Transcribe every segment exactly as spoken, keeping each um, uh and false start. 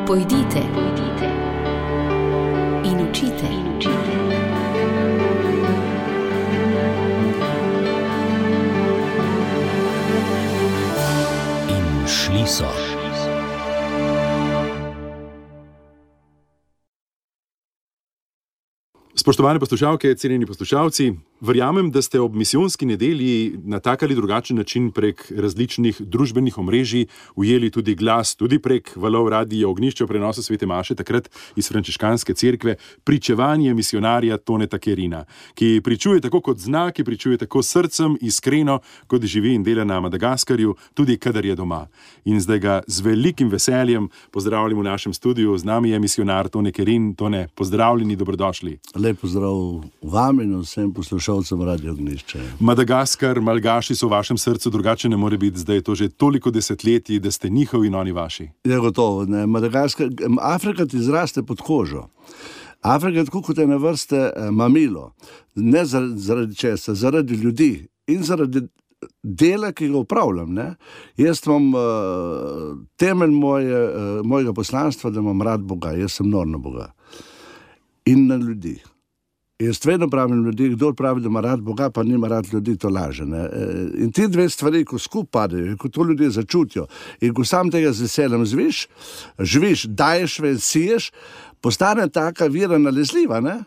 Pojdite, pojdite in učite, in učite. In šli so. Spoštovane poslušalke, cenjeni poslušalci, verjamem, da ste ob misijonski nedelji na tak ali drugačen način prek različnih družbenih omrežij ujeli tudi glas, tudi prek valov Radia Ognjišče v prenosu svete maše, takrat iz frančiškanske cerkve, pričevanje misijonarja Toneta Kerina, ki pričuje tako kot zna, ki pričuje tako srcem, iskreno, kot živi in dela na Madagaskarju, tudi kadar je doma. In zdaj ga z velikim veseljem pozdravljam v našem studiu. Z nami je misijonar Tone Kerin. Tone, pozdravljeni, dobrodošli. Lep pozdrav vam in vsem poslušalcem Radia Ognjišče. Madagaskar, Malgaši so v vašem srcu, drugače ne more biti, zdaj je to že toliko desetletij, da ste njihovi in oni vaši. Je gotovo, ne. Madagaskar, Afrika ti zraste pod kožo. Afrika je tako kot ena vrste mamilo. Ne zaradi, zaradi česa, zaradi ljudi in zaradi dela, ki ga upravljam. Ne. Jaz imam uh, temelj moje, uh, mojega poslanstva, da imam rad Boga. Jaz sem nor na Boga. In na ljudi. Jaz vedno pravim ljudi, kdo pravi, da ima rad Boga, pa nima rad ljudi, to laže. Ne? In ti dve stvari, ko skupaj padejo, ko to ljudje začutijo in ko sam tega z veseljem zviš, živiš, daješ ven, siješ, postane taka vira nalezljiva, ne?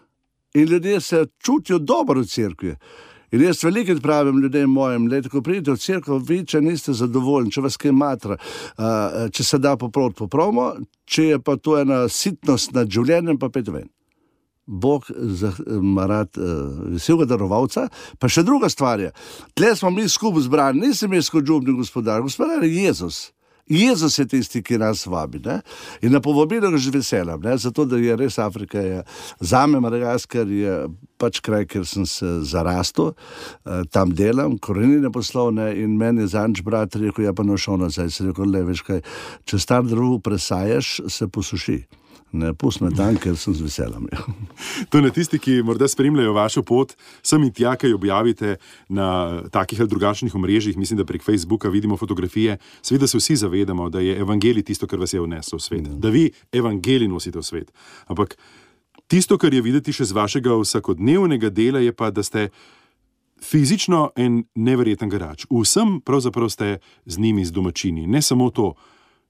In ljudje se čutijo dobro v cerkvi. In jaz velikrat pravim ljudem mojim, le, ko pridete v cerkev, vi, če niste zadovoljni, če vas kaj matra, uh, če se da popraviti, popravimo, če je pa to ena sitnost nad življenjem, pa pet ven. Bog ima rad uh, veselega darovalca, pa še druga stvar je. Tle smo mi skupaj zbrani, nisem jaz kot župni gospodar, gospodar je Jezus. Jezus je tisti, ki nas vabi, ne? In na povabilo ga že veselam, ne? Zato, da je res Afrika, je, zame Madagaskar je pač kraj, kjer sem se zarastel, uh, tam delam, korenine poslovne in meni je zanč brat rekel, ja pa nošel nazaj, se rekel, le, veš kaj, če star drevo presajaš, se posuši. Ne, pust me tam, ker sem z veseljem. To ne tisti, ki morda spremljajo vašo pot, sem in tja, kaj objavite na takih ali drugačnih omrežjih, mislim, da prek Facebooka vidimo fotografije, seveda se vsi zavedamo, da je evangelij tisto, kar vas je vnesel v svet, ja. Da vi evangelij nosite v svet. Ampak tisto, kar je videti še z vašega vsakodnevnega dela, je pa, da ste fizično en neverjeten garač. Vsem pravzaprav ste z njimi, z domačini. Ne samo to.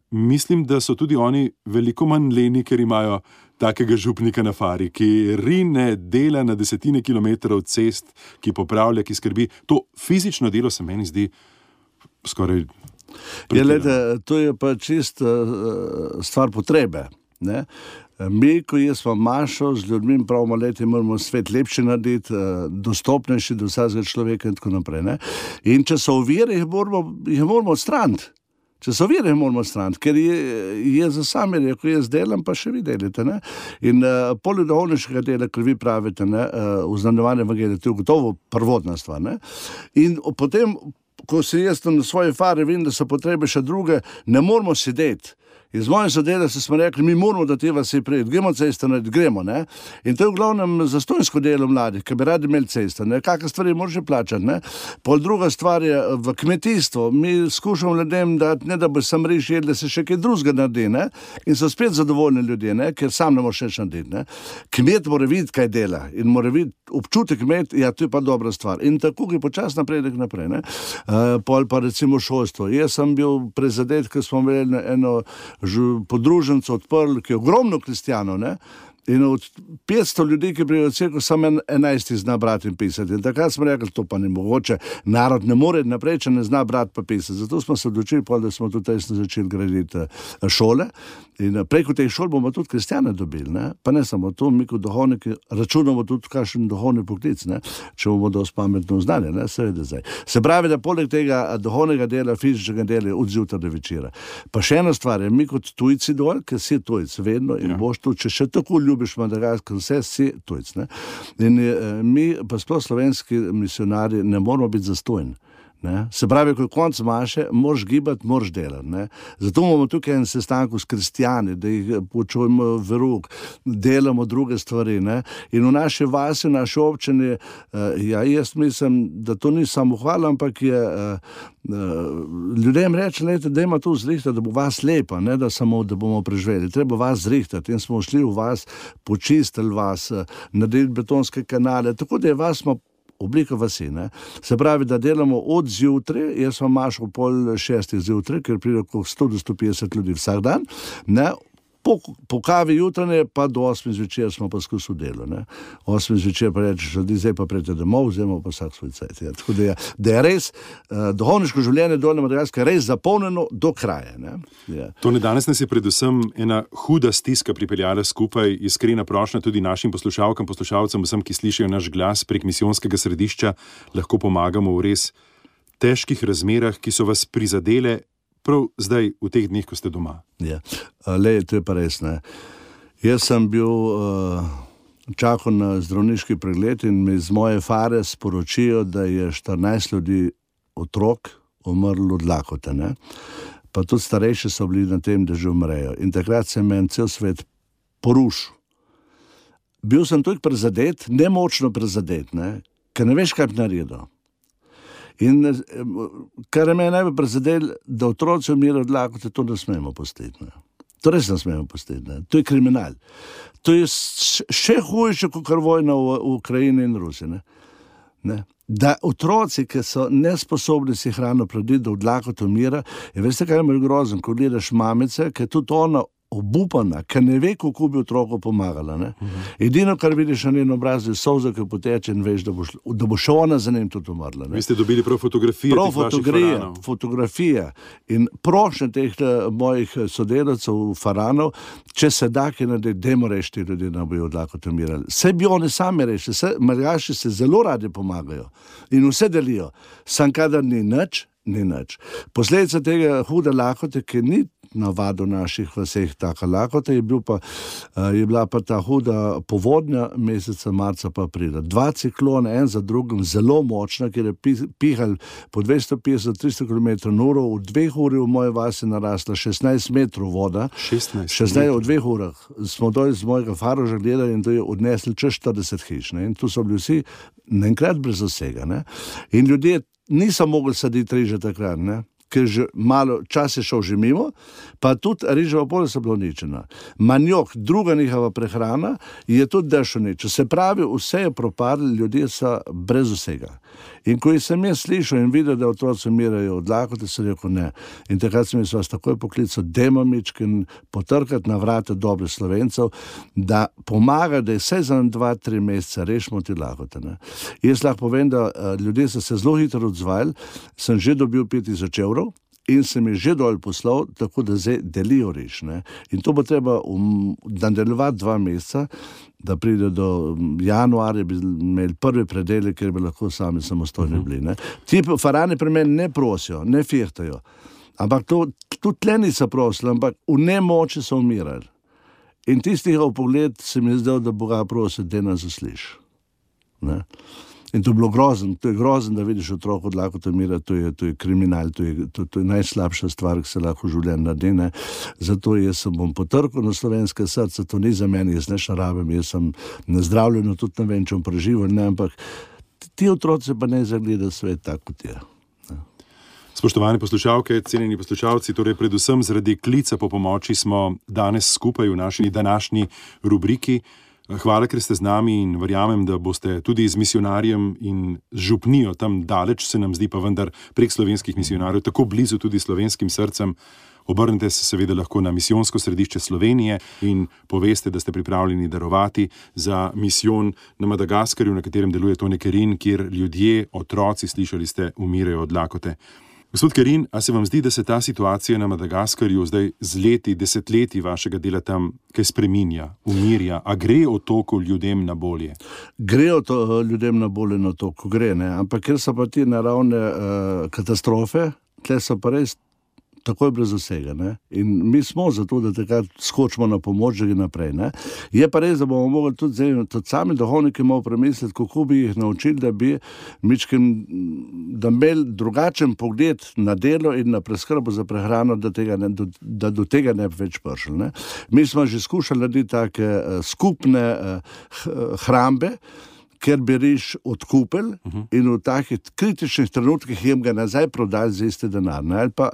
Mislim, da so tudi oni veliko manj leni, ker imajo takega župnika na fari, ki rine, dela na desetine kilometrov cest, ki popravlja, ki skrbi. To fizično delo se meni zdi skoraj je, lede, to je pa čist uh, stvar potrebe. Ne? Mi, ko jaz vam mašo z ljudmi pravimo leti, moramo svet lepši narediti, uh, dostopnejši do vsakega človeka in tako naprej. Ne? In če so ovire, jih moramo, jih moramo odstraniti. Če so vire, moramo straniti, ker je, je za sami rekel, jaz delam, pa še vi delite. Ne? In uh, poleg duhovniškega dela, ker vi pravite, ne, uh, uznanjevanje evangelija, to je gotovo prvotna stvar. Ne? In potem, ko se jaz na svoje fare vidim, da so potrebe še druge, ne moramo sedeti. In z mojim sodelavcem smo rekli, mi moramo do te vasi priti, gremo cesto, gremo, ne. In to je v glavnem zastonjsko delo mladih, ki bi radi imeli cesto, ne. Kakšne stvari moraš plačati, ne. Pol druga stvar je v kmetijstvu. Mi skušamo ljudem dati, ne da bo sam riž jedli, se še kaj drugega naredi, ne. In so spet zadovoljni ljudje, ne, ker sam ne moreš še narediti, ne. Kmet mora videti, kaj dela in mora videti občutek kmet, ja, to je pa dobra stvar. In tako je počas napredek naprej, ne. Uh, pol pa recimo šolstvo. Jaz sem bil prezadet, ker smo imeli eno podruženco odprli, ki je ogromno kristijanov, ne? In od petsto ljudi, ki prijo v cerkev, samo enajsti zna brati in pisati. In takrat smo rekli, to pa ne mogoče, narod ne more naprej, če ne zna brati pa pisati. Zato smo se odločili, da smo tudi začeli graditi šole. In preko teh šol bomo tudi kristjane dobili, ne? Pa ne samo to, mi kot duhovniki računamo tudi kakšen duhovni poklic, ne? Če bomo dosti pametno znali, ne? Seveda zdaj. Se pravi, da poleg tega duhovnega dela, fizičnega dela je od zjutraj do večera. Pa še ena stvar je, mi kot tujci dol, ker si tujc vedno in ja. Boš tu, če še tako ljubiš Madagaskar, vse si tujc, ne? In mi, pa sploh slovenski misionarji, ne moramo biti zastojni. Ne? Se pravi, ko je konc maše, moraš gibati, moraš delati. Ne? Zato imamo tukaj en sestanku s kristjani, da jih počujemo v rok, delamo druge stvari. Ne? In v naši vasi, v naši občini, uh, ja, jaz mislim, da to ni samo hvala, ampak je uh, uh, ljudem reči, lejte, da ima to zrihtati, da bo vas lepa, ne da samo, da bomo preživeli. Treba vas zrihtati in smo šli v vas, počistili vas, uh, naredili betonske kanale, tako da je vas smo oblika vasi, ne. Se pravi, da delamo od zjutraj, jaz vam mašal pol šestih zjutraj, ker pride okrog sto do sto petdeset ljudi vsak dan, ne, po, po kavi jutranje pa do osmih zvečer smo pa skozi delo, ne. Osmih zvečer pa rečeš, ljudi, zdaj pa prejte domov, vzemo pa vsak svoj cajt. Ja. Tako da je, da je res uh, duhovniško življenje Dolnje Madagaske res zapolnjeno do kraja, ne. Ja. Tone, danes nas je predvsem ena huda stiska pripeljala skupaj, iskrena prošnja tudi našim poslušalkam, poslušalcem, vsem, ki slišijo naš glas prek misijonskega središča, lahko pomagamo v res težkih razmerah, ki so vas prizadele prav zdaj, v teh dneh, ko ste doma. Ja, lej, to je pa res, ne. Jaz sem bil uh, čakal na zdravniški pregled in mi z moje fare sporočijo, da je štirinajst ljudi, otrok, umrlo od lakote, ne. Pa tudi starejši so bili na tem, da že umrejo. In takrat se meni cel svet porušil. Bil sem tudi prizadet, nemočno prizadet, ne, ker ne veš, kaj bi naredil. In kar je me najbolj prizadelo, da otroci umirajo od lakote, to ne smemo pustiti. Ne. To res ne smemo pustiti. Ne. To je kriminal. To je še hujše, kot kar vojna v, v Ukrajini in Rusiji. Ne. Ne. Da otroci, ki so nesposobni si hrano prediti, da od lakote umira, in veste, kaj je moj grozen, ko gledaš mamice, ki je tudi ona obupana, ker ne ve, kako bi otroku pomagala. Ne? Uh-huh. Edino, kar vidiš na njen obrazu, je solza, ki poteče in veš, da bo, šlo, da bo še ona za njim tudi umrla. Ne? Vi ste dobili prav fotografije prav teh vaših faranov. Fotografije in prošnje teh mojih sodelavcev, faranov, če se da, ki ne dajmo rešiti ljudi, da bojo od lakote umirali. Vse bi oni sami rešili, Madagaši se zelo radi pomagajo in vse delijo. Sam kadar ni nič, ni nič. Posledica tega hude lakote, ki ni navado naših vseh taka lakota, je, bil pa, je bila pa ta huda povodnja meseca marca pa aprila. Dva ciklona, en za drugim, zelo močna, ker je pihal po dvesto petdeset do tristo kilometrov na uro, v dveh uri v moje vasi narasla šestnajst metrov voda. šestnajst šestnajst v dveh urah. Smo doli z mojega faroža gledali in to je odnesli čez štirideset hiš. Ne? In tu so bili vsi naenkrat brez vsega. Ne? In ljudje niso mogli saditi riže takrat, ne? Ker že malo čas je šel že mimo, pa tudi riževa polja so bila uničena. Manjok, druga njihova prehrana, je tudi dež uničena. Se pravi, vse je propadlo, ljudje so brez vsega. In ko sem jaz slišal in videl, da otroci umirajo od lakote, sem rekel ne. In takrat sem jaz vas takoj poklical, dajmo mičken potrkati na vrata dobrih Slovencev, da pomaga, da je vse za dva, tri mesece rešimo te lakote. Ne. Jaz lahko povem, da ljudje so se zelo hitro odzvali, sem že dobil pet tisoč evrov, in se mi že dol poslal, tako da zdaj delijo riž. Ne? In to bo treba um, nadaljevati dva meseca, da pride do januarja, bi imeli prvi predelek, ker bi lahko sami samostojni bili. Ne? Ti farani pri meni ne prosijo, ne fihtajo. Ampak to, tudi tle niso prosili, ampak v nemoči so umirali. In tistih v pogled se mi je zdel, da Boga prosi, da nas zasliš. Ne? In to je bilo grozen, to je grozen, da vidiš otrok od lakote umira, to je, to je kriminal, to je, to, to je najslabša stvar, ki se lahko v življenju naredi. Ne. Zato jaz sem bom potrkal na slovenske srce, to ni za meni, jaz ne šarabim, jaz sem nezdravljen, tudi ne vem, če bom preživel, ne, ampak ti otroci pa ne zagleda svet tako, kot je. Ne. Spoštovane poslušalke, cenjeni poslušalci, torej predvsem zaradi klica po pomoči smo danes skupaj v naši današnji rubriki. Hvala, ker ste z nami in verjamem, da boste tudi z misionarjem in z župnijo, tam daleč se nam zdi pa vendar prek slovenskih misionarjev, tako blizu tudi slovenskim srcem. Obrnite se seveda lahko na misijonsko središče Slovenije in poveste, da ste pripravljeni darovati za misijon na Madagaskarju, na katerem deluje Tone Kerin, kjer ljudje, otroci, slišali ste, umirajo od lakote. Gospod Kerin, a se vam zdi, da se ta situacija na Madagaskarju zdaj z leti, desetletji vašega dela tam kaj spreminja, umirja? A gre otoku ljudem na bolje? Gre to, ljudem na bolje na otoku, gre, ne? Ampak ker so pa ti naravne uh, katastrofe, tle so pa res takoj brez vsega. Ne? In mi smo zato, da takrat skočimo na pomoč, da gre naprej. Ne? Je pa res, da bomo mogli tudi, zdaj, tudi sami duhovniki malo premisliti, kako bi jih naučili, da bi mičkim, da imeli drugačen pogled na delo in na preskrbo za prehrano, da, tega ne, da do tega ne bi več prišli. Ne? Mi smo že skušali narediti take uh, skupne uh, hrambe, ker bi riž odkupili uh-huh. in v takih kritičnih trenutkih jim ga nazaj prodali za isti denar. Ne? Ali pa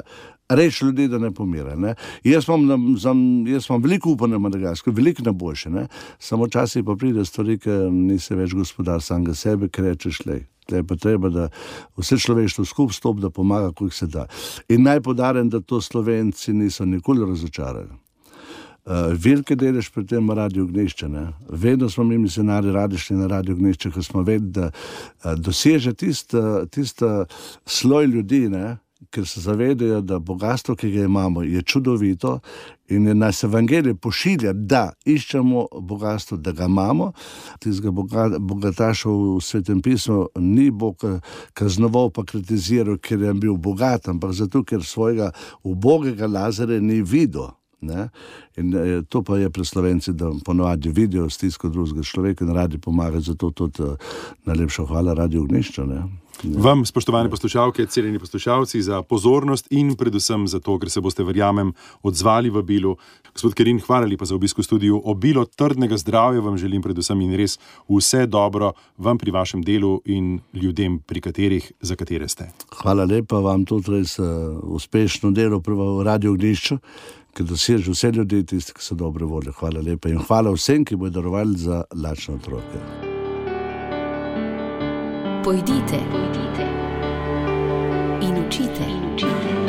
reči ljudi, da ne pomira. Ne? Jaz imam veliko upa na Madagasko, veliko na boljše. Ne? Samo časih pa pride stvari, ker nisi več gospodar samega sebe, ker rečeš, lej, tle pa treba, da vse človeštvo skup stop, da pomaga, koliko se da. In naj podarem, da to Slovenci niso nikoli razočarali. Uh, velike delež pri tem Radio Ognjišče. Ne? Vedno smo mi misionari radi šli na Radio Ognjišče, ker smo vedeli, da uh, doseže tist, uh, tist uh, sloj ljudi, ne? Ker se zavedajo, da bogatstvo, ki ga imamo, je čudovito in je nas evangelij pošilja, da iščemo bogatstvo, da ga imamo. Tistega bogataša v Svetem pismu ni Bog kaznoval pa kritiziral, ker je bil bogat, ampak zato, ker svojega ubogega Lazarja ni videl. Ne? In to pa je pri Slovenci, da ponovadi vidijo stisko drugega človeka in radi pomagati, zato tudi najlepša hvala Radio Ognjišče. Ne? Vam, spoštovane poslušalke, cenjeni poslušalci, za pozornost in predvsem za to, ker se boste, verjamem, odzvali v Bilu. Gospod Kerin, hvala lepa za obisk v studiu. Obilo trdnega zdravja vam želim predvsem in res vse dobro vam pri vašem delu in ljudem, pri katerih, za katere ste. Hvala lepa, vam tudi res uh, uspešno delo pri Radio Ognjišču, ker doseže vse ljudi, tisti, ki so dobre volje. Hvala lepa in hvala vsem, ki bodo darovali za lačne otroke. Pojdite, pojdite in učite, in učite.